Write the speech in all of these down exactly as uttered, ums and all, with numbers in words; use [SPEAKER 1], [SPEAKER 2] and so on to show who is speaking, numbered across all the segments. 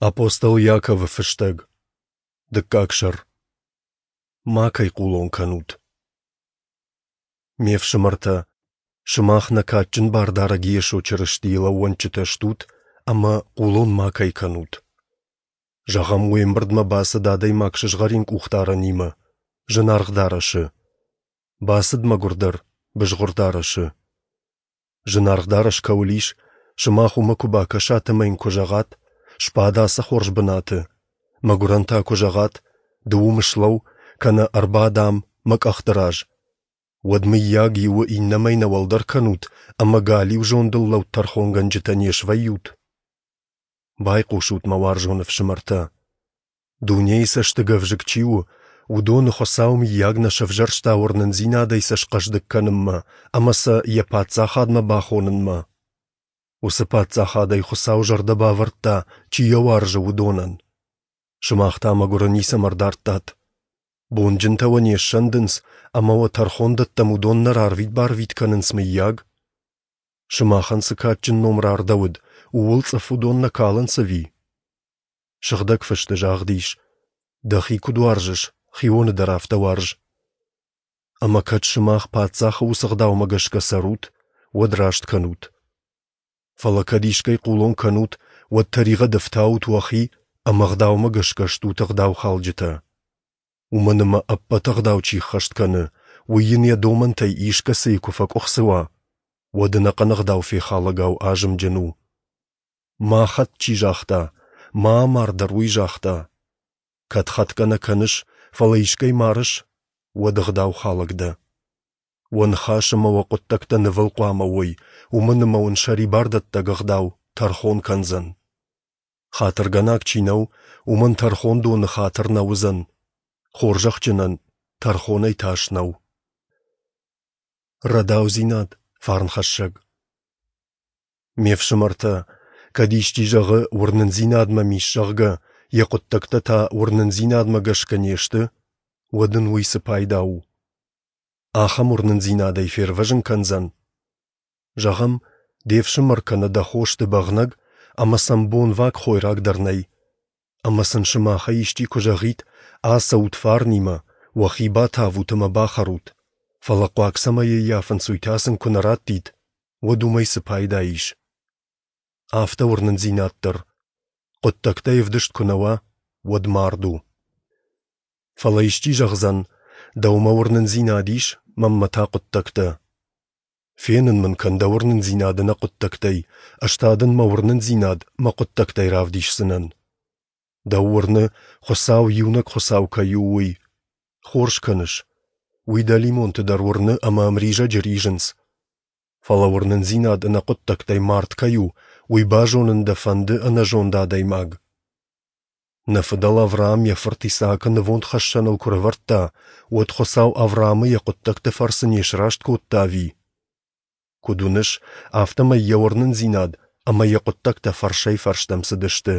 [SPEAKER 1] Апостол Иаковы фыстӕг, дыккаг сӕр. Макӕй хъулон кӕнут. Ме фсымӕртӕ, сымах нӕ кадджын Бардарӕг Йесо Чырыстийыл ӕууӕнчытӕ стут ӕмӕ хъулон макӕй кӕнут. Зӕгъӕм, уе мбырдмӕ бацыд адӕймаг сызгъӕрин къухдарӕнимӕ, зынаргъ дарӕсы. Бацыд мӕгуырдӕр, бызгъуыр дарӕсы. Зынаргъ дарӕс кӕуыл ис, сымах уымӕ куы бакӕсат ӕмӕ йын куы зӕгъат, сбад ацы хорз бынаты, мӕгуырӕн та куы зӕгъат, ды уым слӕуу, кӕнӕ ӕрбад ам, мӕ къӕхты раз, уӕд, мыййаг, иуы иннӕмӕй нӕ уӕлдӕр кӕнут ӕмӕ галиу зондыл лӕуд тӕрхонгӕнджытӕ не свӕййут? Байхъусут, мӕ уарзон ӕфсымӕртӕ! Дунейы цӕсты гӕвзыкк чи у, уыдоны Хуыцау мыййаг нӕ сӕвзӕрста уырнындзинадӕй сӕ схъӕздыг кӕнынмӕ ӕмӕ сӕ йӕ паддзахадмӕ бахонынмӕ? Уыцы паддзахадӕй Хуыцау зӕрдӕ бавӕрдта, чи йӕ уарзы, уыдонӕн. Сымах та мӕгуыры ницӕмӕ ӕрдардтат. Бонджынтӕ уӕ не ссӕндынц ӕмӕ уӕ тӕрхондӕттӕм уыдон нӕ рарвит-барвит кӕнынц, мыййаг? Сымахӕн цы кадджын ном рардӕуыд, ууыл цъыф уыдон нӕ калынц ӕви? Сыгъдӕг Фысты загъд ис: дӕхи куыд уарзыс, хионы дӕр афтӕ уарз. Ӕмӕ кӕд сымах паддзахы уыцы ӕгъдаумӕ гӕсгӕ цӕрут, уӕд раст кӕнут. Фӕлӕ кӕд искӕй хъулон кӕнут, уӕд тӕригъӕд ӕфтаут уӕхи ӕмӕ ӕгъдаумӕ гӕсгӕ стут ӕгъдаухалджытӕ. Уымӕн ӕмӕ ӕппӕт ӕгъдау чи ӕххӕст кӕны, уый йын йӕ домӕнтӕй искӕцыйы куы фӕкъуыхцы уа, уӕд ӕнӕхъӕн ӕгъдау фехалӕгау азымджын у. Ма хӕт чи загъта, ма амар дӕр уый загъта. Кӕд хӕтгӕ нӕ кӕныс, фӕлӕ искӕй марыс, уӕд ӕгъдаухалӕг дӕ. Уӕ ныхас ӕмӕ уӕ хъуыддӕгтӕ нывыл хъуамӕ уой, уымӕн ӕмӕ уын сӕрибардӕттӕг ӕгъдау тӕрхон кӕндзӕн. Хатыргӕнаг чи нӕу, уымӕн тӕрхондоны хатыр нӕ уыдзӕн, хорзӕхджынӕн тӕрхонӕй тас нӕу. Рӕдаудзинад фарнхӕссӕг. Ме фсымӕртӕ, кӕд исчи зӕгъы, уырнындзинад мӕм ис, зӕгъгӕ, йӕ хъуыддӕгтӕ та уырнындзинадмӕ гӕсгӕ не сты, уӕд ын уый цы пайда у? Ахӕм уырнындзинадӕй фервӕзын кӕндзӕн? Зӕгъӕм, де фсымӕр кӕнӕ дӕ хо сты бӕгънӕг, ӕмӕ сӕм бонваг хойраг дӕр нӕй. Ӕмӕ сын сымахӕй исчи куы зӕгъид, ацӕут фарнимӕ, уӕхи батавут ӕмӕ бахӕрут, фӕлӕ хъуаг цӕмӕй ӕййафынц, уый та сын куы нӕ раттид, уӕд уымӕй цы пайда ис? Афтӕ уырнындзинад дӕр, хъуыддӕгтӕй ӕвдыст куы нӕ уа, уӕд мард у. Фӕлӕ исчи зӕгъдзӕн, дӕумӕ уырнындзинад ис, мӕнмӕ та хъуыддӕгтӕ. Фенын мын кӕн дӕ уырнындзинад ӕнӕ хъуыддӕгтӕй, ӕз та дын мӕ уырнындзинад мӕ хъуыддӕгтӕй равдисдзынӕн. Дӕу уырны, Хуыцау иунӕг Хуыцау кӕй у, уый. Хорз кӕныс. Уый дӕлимонты дӕр уырны ӕмӕ ӕмризӕджы ризынц. Фӕлӕ уырнындзинад ӕнӕ хъуыддӕгтӕй мард кӕй у, уый базонын дӕ фӕнды ӕнӕзонд адӕймаг? Нӕ фыдӕл Авраам йӕ фырт Исаакы нывондхӕссӕныл куы рӕвӕрдта, уӕд Хуыцау Авраамы йӕ хъуыддӕгты фӕрцы не сраст кодта ӕви? Куыд уыныс, афтӕмӕй йӕ уырнындзинад ӕмӕ йӕ хъуыддӕгтӕ фӕрсӕй-фӕрстӕм цыдысты.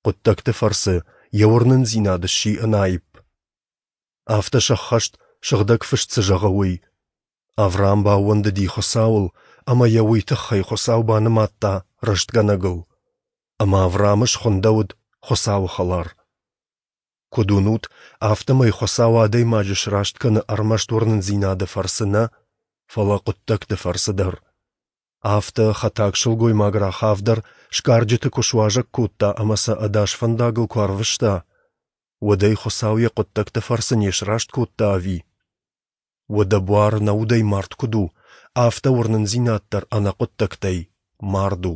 [SPEAKER 1] Хъуыддӕгты фӕрцы йӕ уырнындзинад сси ӕнаипп. Афтӕ сӕххӕст, Сыгъдӕг Фыст цы зӕгъы, уый. Авраам баууӕндыди Хуыцауыл, ӕмӕ йӕ уый тыххӕй Хуыцау банымадта рӕстгӕнӕгыл. Ӕмӕ Авраамы схуындӕуыд Хуыцауы хӕлар. Куыд уынут, афтӕмӕй Хуыцау адӕймаджы сраст кӕны ӕрмӕст уырнындзинады фӕрцы нӕ, фӕлӕ хъуыддӕгты фӕрцы дӕр. Афтӕ хӕтаг сылгоймаг Рахав дӕр сгарджыты куы суазӕг кодта ӕмӕ сӕ ӕдас фӕндагыл куы арвыста, уӕд ӕй Хуыцау йӕ хъуыддӕгты фӕрцы не сраст кодта ӕви? Уӕдӕ буар нӕ удӕй мард куыд у, афтӕ уырнындзинад дӕр ӕнӕ хъуыддӕгтӕй мард у.